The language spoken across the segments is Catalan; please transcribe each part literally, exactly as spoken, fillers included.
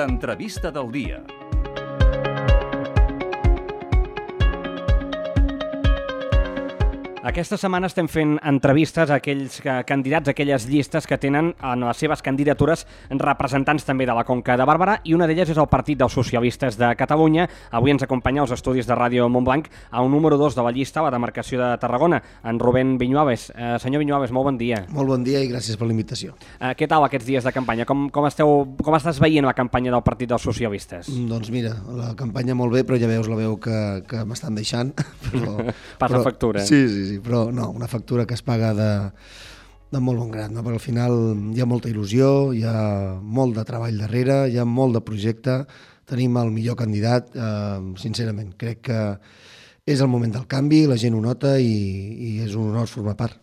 L'entrevista del dia. Aquesta setmana estem fent entrevistes a aquells candidats, a aquelles llistes que tenen en les seves candidatures representants també de la Conca de Barberà, i una d'elles és el Partit dels Socialistes de Catalunya. Avui ens acompanya als estudis de Ràdio Montblanc a un número dos de la llista, la demarcació de Tarragona, en Rubén Viñuales. Eh, senyor Viñuales, molt bon dia. Molt bon dia i gràcies per la invitació. Eh, què tal aquests dies de campanya? Com, com, esteu, com estàs veient la campanya del Partit dels Socialistes? Doncs mira, la campanya molt bé, però ja veus la veu que, que m'estan deixant. Però, Passa però, factura. Sí, sí, sí. Però no, una factura que es paga de, de molt bon grat, no? Perquè al final hi ha molta il·lusió, hi ha molt de treball darrere, hi ha molt de projecte, tenim el millor candidat, eh, sincerament, crec que és el moment del canvi, la gent ho nota i, i és un honor formar part.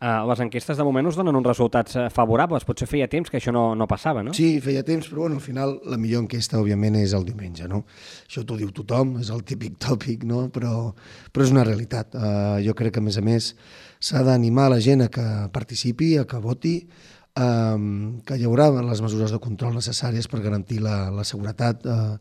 Uh, les enquestes de moment us donen uns resultats favorables, potser feia temps que això no, no passava, no? Sí, feia temps, però bueno, al final la millor enquesta, òbviament, és el diumenge, no? Això t'ho diu tothom, és el típic tòpic, no? Però, però és una realitat. Uh, jo crec que, a més a més, s'ha d'animar la gent a que participi, a que voti, um, que hi haurà les mesures de control necessàries per garantir la, la seguretat uh,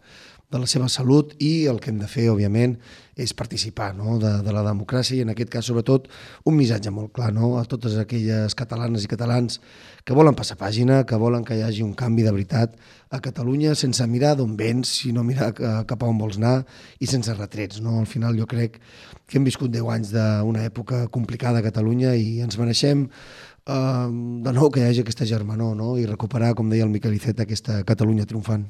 de la seva salut, i el que hem de fer, òbviament, és participar, no? de, de la democràcia, i en aquest cas, sobretot, un missatge molt clar, no? A totes aquelles catalanes i catalans que volen passar pàgina, que volen que hi hagi un canvi de veritat a Catalunya, sense mirar d'on vens, sinó mirar cap a on vols anar, i sense retrets, no? Al final jo crec que hem viscut deu anys d'una època complicada a Catalunya i ens mereixem Uh, de nou que hi hagi aquesta germanor, no? I recuperar, com deia el Miquel Iceta, aquesta Catalunya triomfant.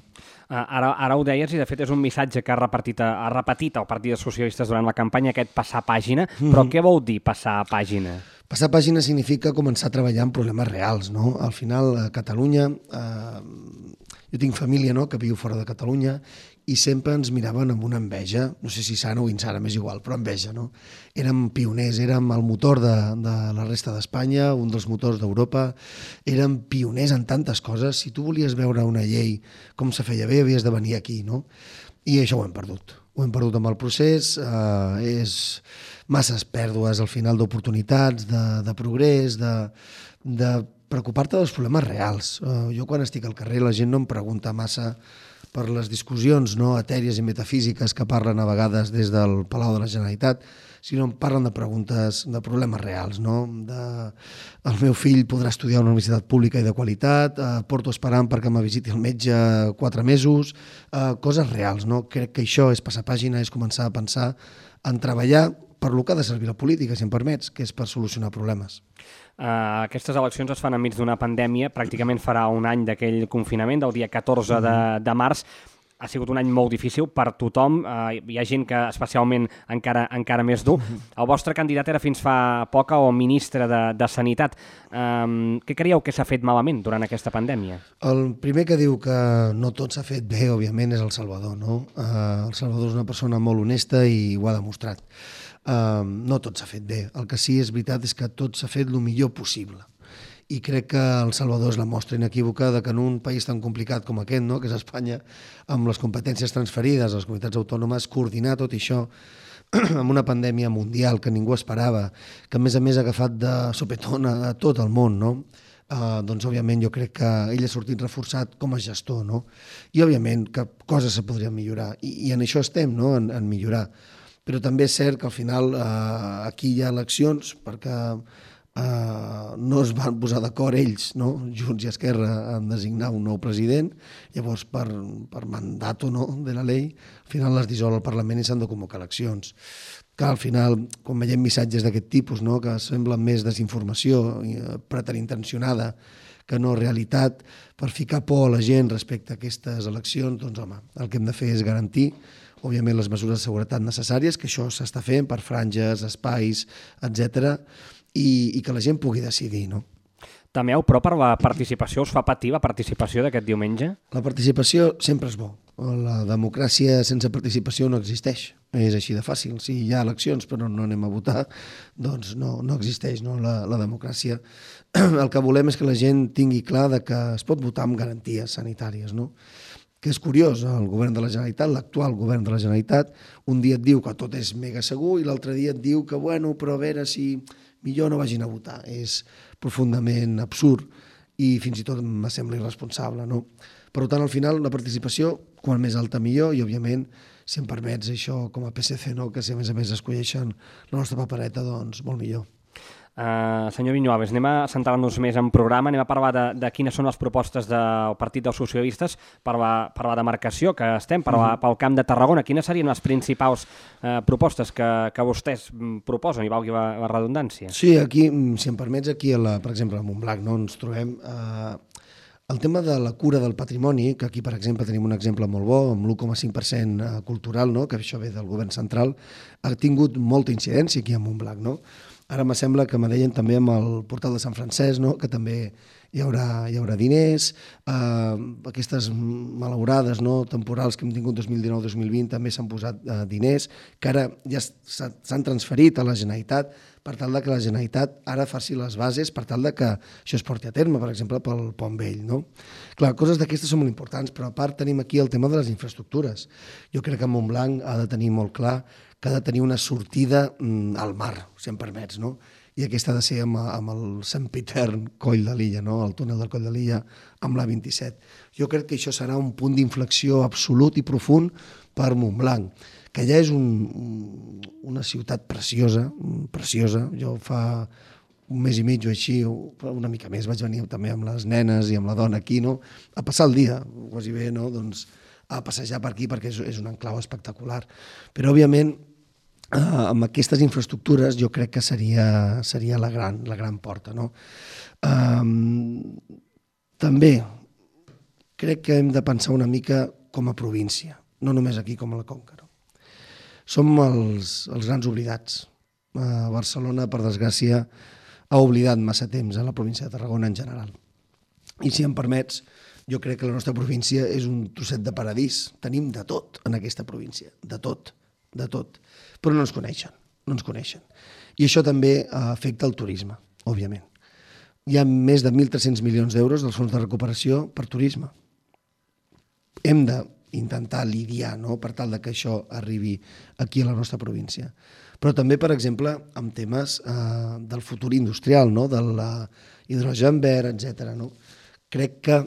Uh, ara, ara ho deies, i de fet és un missatge que ha repetit, ha repetit el Partit dels Socialistes durant la campanya, aquest passar pàgina, però mm-hmm. Què vol dir passar pàgina? Passar pàgina significa començar a treballar en problemes reals, no? Al final, a Catalunya, eh, jo tinc família, no?, que viu fora de Catalunya, i sempre ens miraven amb una enveja, no sé si sana o insana, m'és igual, però enveja, no? Érem pioners, érem el motor de, de la resta d'Espanya, un dels motors d'Europa, érem pioners en tantes coses. Si tu volies veure una llei com se feia bé, havies de venir aquí, no? I això ho hem perdut. Ho hem perdut amb el procés, eh, és masses pèrdues al final d'oportunitats, de, de progrés, de, de preocupar-te dels problemes reals. Eh, jo quan estic al carrer la gent no em pregunta massa per les discussions, no, etèries i metafísiques que parlen a vegades des del Palau de la Generalitat, sinó em parlen de preguntes, de problemes reals, no? De, el meu fill podrà estudiar a una universitat pública i de qualitat, eh, porto esperant perquè me visiti el metge quatre mesos, eh, coses reals, no? Crec que això és passar pàgina, és començar a pensar en treballar per lo que ha de servir la política, si em permets, que és per solucionar problemes. Uh, aquestes eleccions es fan enmig d'una pandèmia, pràcticament farà un any d'aquell confinament, del dia catorze de, de març. Ha sigut un any molt difícil per tothom, uh, hi ha gent que especialment encara, encara més dur. El vostre candidat era fins fa poc el ministre de, de Sanitat. Um, què creieu que s'ha fet malament durant aquesta pandèmia? El primer que diu que no tot s'ha fet bé, òbviament, és el Salvador, no? Uh, el Salvador és una persona molt honesta i ho ha demostrat. Uh, no tot s'ha fet bé. El que sí és veritat és que tot s'ha fet el millor possible. I crec que El Salvador és la mostra inequívoca de que en un país tan complicat com aquest, no?, que és Espanya, amb les competències transferides a les comunitats autònomes, coordinar tot això amb una pandèmia mundial que ningú esperava, que a més a més ha agafat de sopetón a tot el món, no? Uh, doncs òbviament jo crec que ell ha sortit reforçat com a gestor, no? I òbviament que coses se podrien millorar, i, i en això estem, no?, en, en millorar. Però també és cert que al final eh, aquí hi ha eleccions perquè eh, no es van posar d'acord ells, no? Junts i Esquerra, en designar un nou president. Llavors, per, per mandat o no de la llei, al final les dissol al Parlament i s'han de convocar eleccions. Que al final, quan veiem missatges d'aquest tipus, no?, que semblen més desinformació eh, preterintencionada que no realitat, per ficar por a la gent respecte a aquestes eleccions, doncs home, el que hem de fer és garantir òbviament les mesures de seguretat necessàries, que això s'està fent per franges, espais, etcètera, i, i que la gent pugui decidir, no? Temeu, però, per la participació, us fa patir la participació d'aquest diumenge? La participació sempre és bo. La democràcia sense participació no existeix. És així de fàcil. Si hi ha eleccions però no anem a votar, doncs no, no existeix, no, la, la democràcia. El que volem és que la gent tingui clar de que es pot votar amb garanties sanitàries, no? Que és curiós, el govern de la Generalitat, l'actual govern de la Generalitat, un dia et diu que tot és mega segur i l'altre dia et diu que, bueno, però a veure si millor no vagin a votar. És profundament absurd i fins i tot me sembla irresponsable, no? Per tant, al final, la participació, quan més alta millor, i òbviament, si em permets això com a P S C, no? Que si a més a més escolleixen la nostra papereta, doncs molt millor. Uh, senyor Viñuales, anem a centrar-nos més en programa, anem a parlar de, de quines són les propostes del Partit dels Socialistes per la, per la demarcació que estem, per la, pel Camp de Tarragona. Quines serien les principals uh, propostes que, que vostès proposen, i valgui la, la redundància? Sí, aquí, si em permets, aquí, a la, per exemple, a Montblanc, no, ens trobem... Uh, el tema de la cura del patrimoni, que aquí, per exemple, tenim un exemple molt bo, amb l'u coma cinc per cent cultural, no? Que això ve del govern central, ha tingut molta incidència aquí a Montblanc, no? Ara me sembla que me deien també amb el portal de Sant Francesc, no? Que també hi haurà, hi haurà diners, eh, aquestes malaurades, no? Temporals que hem tingut dos mil dinou dos mil vint també s'han posat eh, diners, que ara ja s'han transferit a la Generalitat per tal de que la Generalitat ara faci les bases per tal de que això es porti a terme, per exemple, pel Pont Vell, no? Clar, coses d'aquestes són molt importants, però a part tenim aquí el tema de les infraestructures. Jo crec que Montblanc ha de tenir molt clar que ha de tenir una sortida mm, al mar, si em permets, no? I aquesta ha de ser amb, amb el sempitern Coll de l'Illa, no? El túnel del Coll de l'Illa amb l'A vint-i-set. Jo crec que això serà un punt d'inflexió absolut i profund per Montblanc, que ja és un, una ciutat preciosa, preciosa. Jo fa un mes i mig o així, una mica més, vaig venir també amb les nenes i amb la dona aquí, no? A passar el dia, quasi bé, no? Doncs a passejar per aquí perquè és, és un enclau espectacular. Però, òbviament, eh, amb aquestes infraestructures jo crec que seria, seria la, gran, la gran porta, no? Eh, també crec que hem de pensar una mica com a província, no només aquí com a la Conca. No? Som els, els grans oblidats. Eh, Barcelona, per desgràcia, ha oblidat massa temps a la província de Tarragona en general. I si em permets, jo crec que la nostra província és un trosset de paradís. Tenim de tot en aquesta província, de tot, de tot. Però no ens coneixen, no ens coneixen. I això també afecta el turisme, òbviament. Hi ha més de mil tres-cents milions d'euros dels fons de recuperació per turisme. Hem d'intentar lidiar, no?, per tal que això arribi aquí a la nostra província. Però també, per exemple, amb temes eh, del futur industrial, no?, de l'hidrogen verd, etcètera. No? Crec que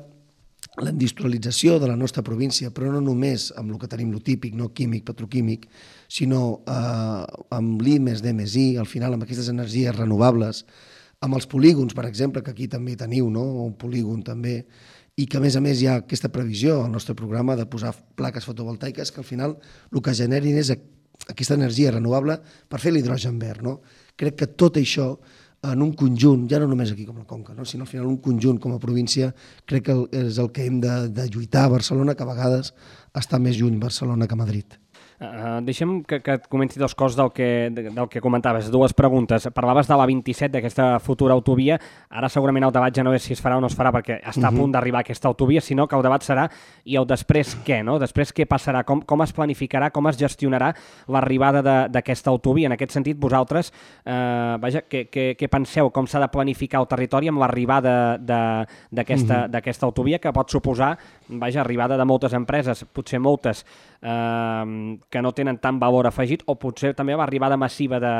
la industrialització de la nostra província, però no només amb el que tenim, lo típic, no químic, petroquímic, sinó eh, amb l'I més D més I, al final amb aquestes energies renovables, amb els polígons, per exemple, que aquí també teniu, no? Un polígon també, i que a més a més hi ha aquesta previsió al nostre programa de posar plaques fotovoltaiques que al final el que generin és aquesta energia renovable per fer l'hidrogen verd. No? Crec que tot això en un conjunt, ja no només aquí com la Conca, no? Sinó al final un conjunt com a província, crec que és el que hem de, de lluitar a Barcelona, que a vegades està més lluny Barcelona que Madrid. Uh, deixa'm que, que et comenti dos coses del que, del que comentaves, dues preguntes. Parlaves de l'A vint-i-set, d'aquesta futura autovia. Ara segurament el debat ja no és si es farà o no es farà perquè està uh-huh. a punt d'arribar aquesta autovia, sinó que el debat serà i el després què, no? Després què passarà, com, com es planificarà, com es gestionarà l'arribada d'aquesta autovia. En aquest sentit, vosaltres, uh, vaja, què, què, què penseu, com s'ha de planificar el territori amb l'arribada d'aquesta uh-huh. autovia, que pot suposar, vaja, arribada de moltes empreses, potser moltes, eh, que no tenen tant valor afegit, o potser també l'arribada massiva de,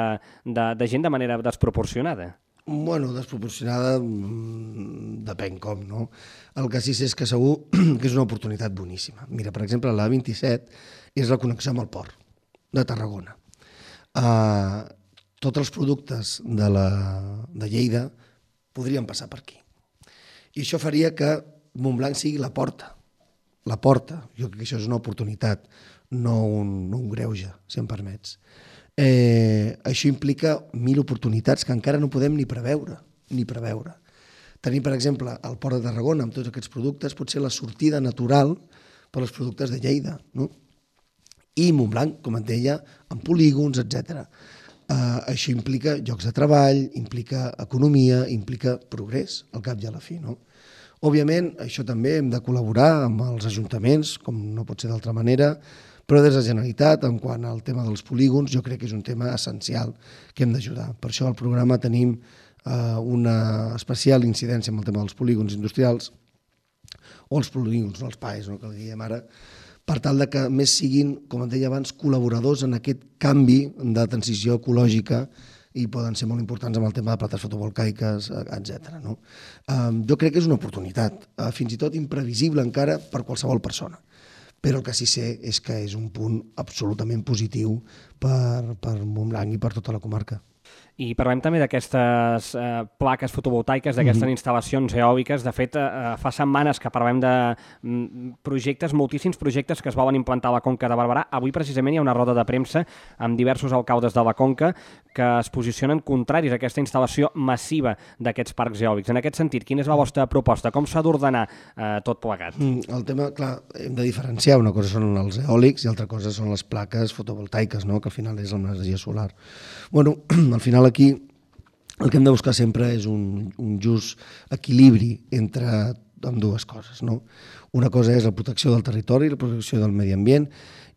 de, de gent de manera desproporcionada? Bueno, desproporcionada depèn com, no? El que sí sé és que segur que és una oportunitat boníssima. Mira, per exemple, l'A vint-i-set és la connexió amb el port de Tarragona. Uh, tots els productes de, la, de Lleida podrien passar per aquí. I això faria que Montblanc sigui la porta. La porta. Jo crec que això és una oportunitat, no un, no un greuge, si em permets. Eh, això implica mil oportunitats que encara no podem ni preveure, ni preveure. Tenim, per exemple, el Port de Tarragona amb tots aquests productes, potser la sortida natural per als productes de Lleida, no? I Montblanc, com et deia, amb polígons, etcètera. Eh, això implica llocs de treball, implica economia, implica progrés, al cap i a la fi, no? Òbviament, això també hem de col·laborar amb els ajuntaments, com no pot ser d'altra manera, però des de la Generalitat, en quant al tema dels polígons, jo crec que és un tema essencial que hem d'ajudar. Per això al programa tenim eh, una especial incidència amb el tema dels polígons industrials, o els polígons, no els P A Es, no, que el diguem ara, per tal de que més siguin, com et deia abans, col·laboradors en aquest canvi de transició ecològica i poden ser molt importants amb el tema de plates fotovoltaiques, etcètera. No? Um, jo crec que és una oportunitat, uh, fins i tot imprevisible encara per qualsevol persona, però el que sí sé és que és un punt absolutament positiu per, per Montblanc i per tota la comarca. I parlem també d'aquestes eh, plaques fotovoltaiques, d'aquestes mm-hmm. instal·lacions eòliques. De fet, eh, fa setmanes que parlem de mm, projectes, moltíssims projectes que es volen implantar a la Conca de Barberà. Avui precisament hi ha una roda de premsa amb diversos alcaldes de la Conca que es posicionen contraris a aquesta instal·lació massiva d'aquests parcs eòlics. En aquest sentit, quina és la vostra proposta? Com s'ha d'ordenar eh, tot plegat? Mm, el tema, clar, hem de diferenciar. Una cosa són els eòlics i altra cosa són les plaques fotovoltaiques, no? Que al final és l'energia solar. Bueno, al final aquí el que hem de buscar sempre és un, un just equilibri entre amb dues coses. No? Una cosa és la protecció del territori, la protecció del medi ambient,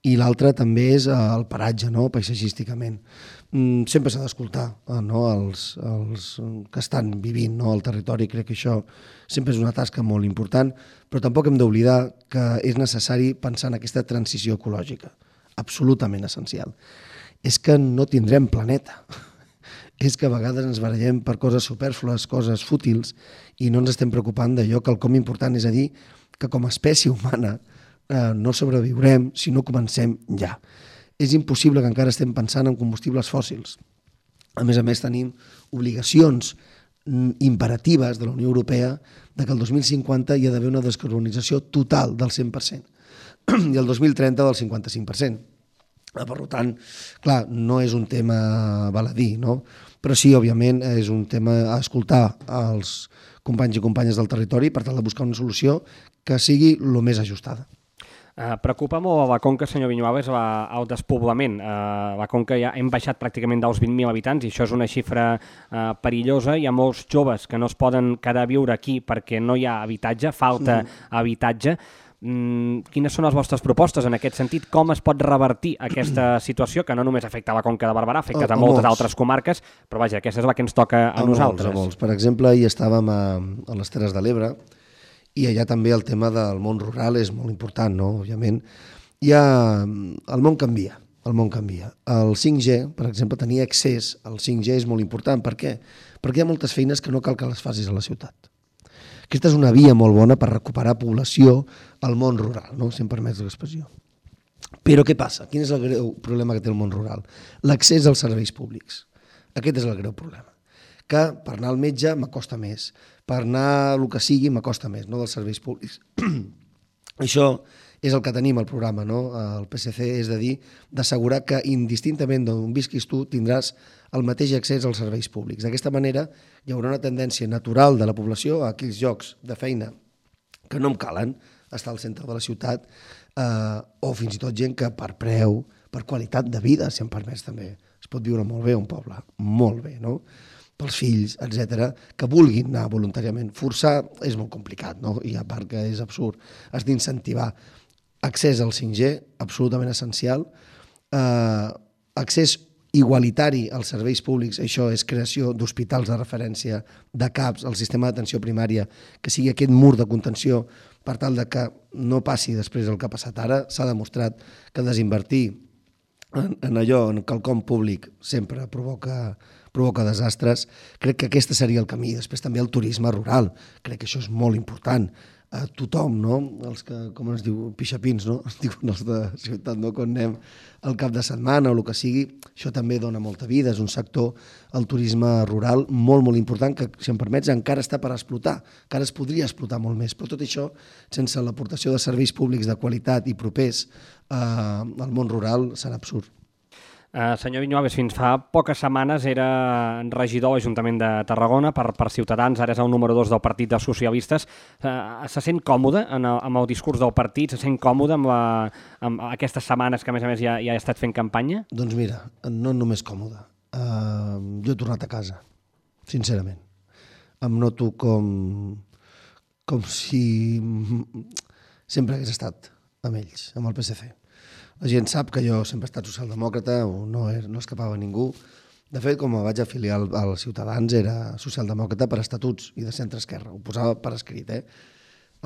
i l'altra també és el paratge, no? Paisatgísticament. Mm, sempre s'ha d'escoltar no? els, els que estan vivint no? al territori. Crec que això sempre és una tasca molt important, però tampoc hem d'oblidar que és necessari pensar en aquesta transició ecològica, absolutament essencial. És que no tindrem planeta. És que a vegades ens barallem per coses supèrflues, coses fútils, i no ens estem preocupant d'allò que el com important, és a dir, que com a espècie humana eh, no sobreviurem si no comencem ja. És impossible que encara estem pensant en combustibles fòssils. A més a més, tenim obligacions imperatives de la Unió Europea de que el dos mil cinquanta hi ha d'haver una descarbonització total del cent per cent i el dos mil trenta del cinquanta-cinc per cent. Per tant, clar, no és un tema baladí, no? Però sí, òbviament, és un tema a escoltar als companys i companyes del territori per tal de buscar una solució que sigui el més ajustada. Uh, preocupa molt a la Conca, senyor Viñuales, la, el despoblament. Uh, la Conca ja hem baixat pràcticament dels vint mil habitants i això és una xifra uh, perillosa. Hi ha molts joves que no es poden quedar a viure aquí perquè no hi ha habitatge, falta mm. habitatge. Mm, quines són les vostres propostes en aquest sentit? Com es pot revertir aquesta situació que no només afecta a la Conca de Barberà, afecta a, a moltes molts. altres comarques, però vaja, aquesta és la que ens toca a, a nosaltres. Molts, a molts. Per exemple, hi estàvem a, a les Terres de l'Ebre i allà també el tema del món rural és molt important, no? Òbviament. Hi ha... El món canvia, el món canvia. El cinc G, per exemple, tenir accés al cinc G és molt important. Per què? Perquè hi ha moltes feines que no cal que les facis a la ciutat. Aquesta és una via molt bona per recuperar població al món rural, no? Si em permets l'expressió. Però què passa? Quin és el greu problema que té el món rural? L'accés als serveis públics. Aquest és el greu problema. Que per anar al metge m'acosta més, per anar a el que sigui m'acosta més, no dels serveis públics. Això és el que tenim al programa, no? El P S C, és de dir, d'assegurar que indistintament d'on visquis tu tindràs el mateix accés als serveis públics. D'aquesta manera hi haurà una tendència natural de la població a aquells llocs de feina que no em calen estar al centre de la ciutat eh, o fins i tot gent que per preu, per qualitat de vida, si em permets també, es pot viure molt bé a un poble, molt bé, no? Pels fills, etcètera, que vulguin anar voluntàriament. Forçar és molt complicat, no? I a part que és absurd. Has d'incentivar. Accés al cinc G, absolutament essencial. Eh, accés igualitari als serveis públics, això és creació d'hospitals de referència, de C A Ps, el sistema d'atenció primària, que sigui aquest mur de contenció per tal de que no passi després el que ha passat ara. S'ha demostrat que desinvertir en, en allò, en quelcom públic, sempre provoca, provoca desastres. Crec que aquest seria el camí. Després també el turisme rural. Crec que això és molt important. A tothom, no? Els que, com es diu, pixapins, no? Es diuen els de ciutat, no? Quan anem al cap de setmana o el que sigui, això també dona molta vida. És un sector, el turisme rural, molt, molt important, que, si em permets, encara està per explotar. Encara es podria explotar molt més. Però tot això, sense l'aportació de serveis públics de qualitat i propers eh, al món rural, serà absurd. Uh, senyor Viñuales, fins fa poques setmanes era regidor a l'Ajuntament de Tarragona per, per Ciutadans, ara és el número dos del Partit dels Socialistes. Uh, se sent còmode en el, amb el discurs del partit? Se sent còmode amb, la, amb aquestes setmanes que a més a més ja, ja ha estat fent campanya? Doncs mira, no només còmode. Uh, jo he tornat a casa, sincerament. Em noto com, com si sempre hagués estat amb ells, amb el P S C. La gent sap que jo sempre he estat socialdemòcrata, no, no escapava a ningú. De fet, com vaig afiliar als Ciutadans, era socialdemòcrata per estatuts i de centre-esquerra. Ho posava per escrit, eh?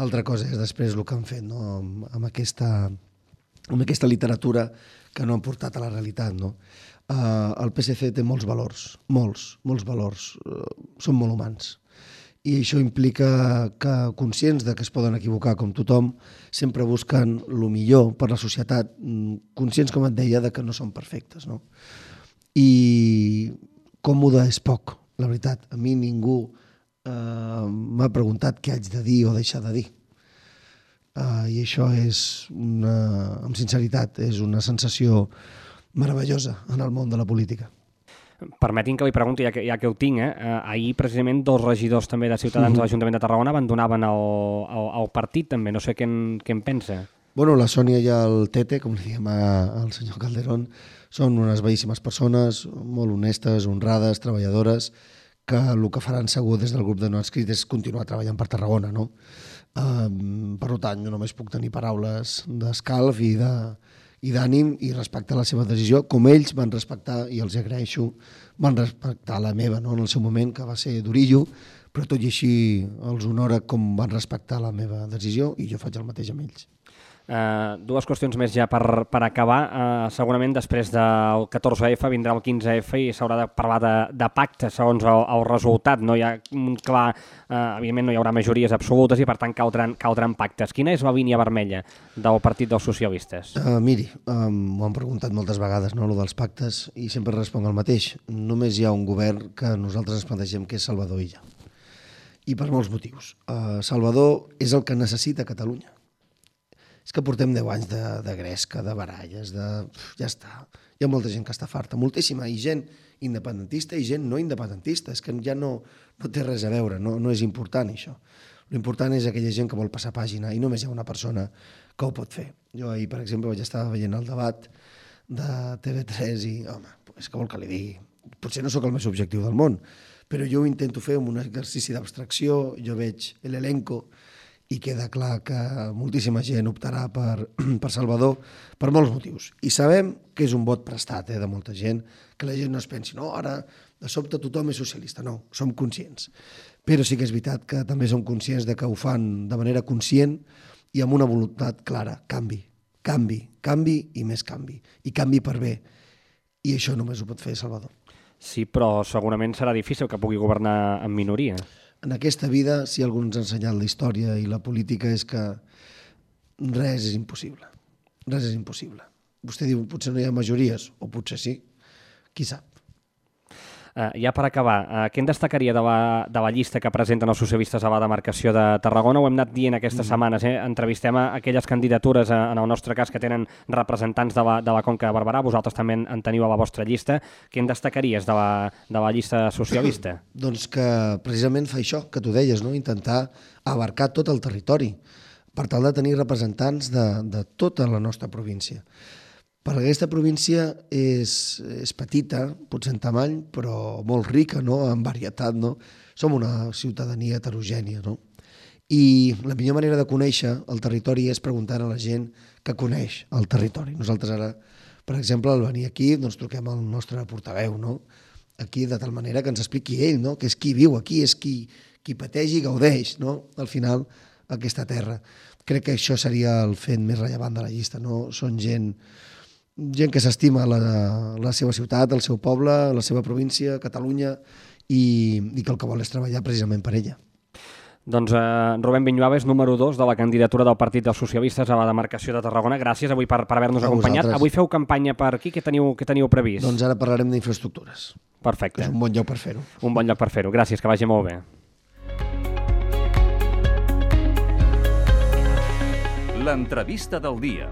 Altra cosa és després el que han fet, no? amb, amb aquesta amb aquesta literatura que no han portat a la realitat, no? Uh, el P S C té molts valors, molts, molts valors, uh, són molt humans. I això implica que, conscients de que es poden equivocar com tothom, sempre busquen el millor per la societat, conscients, com et deia, de que no són perfectes, no? I còmode és poc, la veritat. A mi ningú eh, m'ha preguntat què haig de dir o deixar de dir. Uh, I això és, una, amb sinceritat, és una sensació meravellosa en el món de la política. Permetin que li pregunti, ja que, ja que ho tinc, eh? ahir precisament dos regidors també de Ciutadans mm-hmm. de l'Ajuntament de Tarragona abandonaven el, el, el partit també, no sé què en, què en pensa. Bueno, la Sònia i el Tete, com li diem al senyor Calderón, són unes bellíssimes persones, molt honestes, honrades, treballadores, que el que faran segur des del grup de no adscrits és continuar treballant per Tarragona, no? Um, per tant, jo només puc tenir paraules d'escalf i de... i d'ànim i respectar la seva decisió, com ells van respectar, i els agraeixo, van respectar la meva, no? En el seu moment, que va ser d'orillo, però tot i així els honora com van respectar la meva decisió i jo faig el mateix amb ells. Uh, dues qüestions més ja per, per acabar. Uh, segurament després del catorze efa vindrà el quinze efa i s'haurà de parlar de, de pacte segons el, el resultat. No hi ha un clar, uh, evidentment no hi haurà majories absolutes i per tant caldran, caldran pactes. Quina és la línia vermella del Partit dels Socialistes? Uh, miri, um, m'ho han preguntat moltes vegades, no, lo dels pactes, i sempre responc el mateix. Només hi ha un govern que nosaltres ens plantegem que és Salvador Illa. I per molts motius. Uh, Salvador és el que necessita Catalunya. És que portem deu anys de, de gresca, de baralles, de... ja està. Hi ha molta gent que està farta, moltíssima, i gent independentista i gent no independentista. És que ja no, no té res a veure, no, no és important això. L'important és aquella gent que vol passar pàgina i només hi ha una persona que ho pot fer. Jo ahir, per exemple, vaig estar veient el debat de T V tres i, home, és que vol que li digui. Potser no sóc el més objectiu del món, però jo ho intento fer amb un exercici d'abstracció, jo veig l'elenco i queda clar que moltíssima gent optarà per, per Salvador per molts motius. I sabem que és un vot prestat eh, de molta gent, que la gent no es pensi, no, ara de sobte tothom és socialista. No, som conscients. Però sí que és veritat que també som conscients de que ho fan de manera conscient i amb una voluntat clara, canvi, canvi, canvi i més canvi. I canvi per bé. I això només ho pot fer Salvador. Sí, però segurament serà difícil que pugui governar en minoria. En aquesta vida, si algú ens ha ensenyat la història i la política, és que res és impossible. Res és impossible. Vostè diu, potser no hi ha majories, o potser sí. Qui sap? Uh, ja per acabar, uh, què en destacaria de la, de la llista que presenten els socialistes a la demarcació de Tarragona? Ho hem anat dient aquestes mm. setmanes, eh? Entrevistem a aquelles candidatures, a, en el nostre cas, que tenen representants de la, de la Conca de Barberà. Vosaltres també en teniu a la vostra llista. Què en destacaries de la, de la llista socialista? Doncs que precisament fa això, que tu deies, no? Intentar abarcar tot el territori, per tal de tenir representants de, de tota la nostra província. Per aquesta província és, és petita, potser en tamany, però molt rica, no? En varietat, no? Som una ciutadania heterogènia, no? I la millor manera de conèixer el territori és preguntant a la gent que coneix el territori. Nosaltres ara, per exemple, al venir aquí, doncs truquem al nostre portaveu, no? Aquí, de tal manera que ens expliqui ell, no? Que és qui viu aquí, és qui, qui pateix i gaudeix, no? Al final, aquesta terra. Crec que això seria el fet més rellevant de la llista, no? Són gent... gent que s'estima la, la seva ciutat, el seu poble, la seva província, Catalunya, i, i que el que vol és treballar precisament per ella. Doncs eh, Rubén Viñuales, número dos de la candidatura del Partit dels Socialistes a la demarcació de Tarragona. Gràcies avui per, per haver-nos acompanyat. Vosaltres. Avui feu campanya per aquí. Què teniu, què teniu previst? Doncs ara parlarem d'infraestructures. Perfecte. És un bon lloc per fer-ho. Un bon lloc per fer-ho. Gràcies, que vagi molt bé. L'entrevista del dia.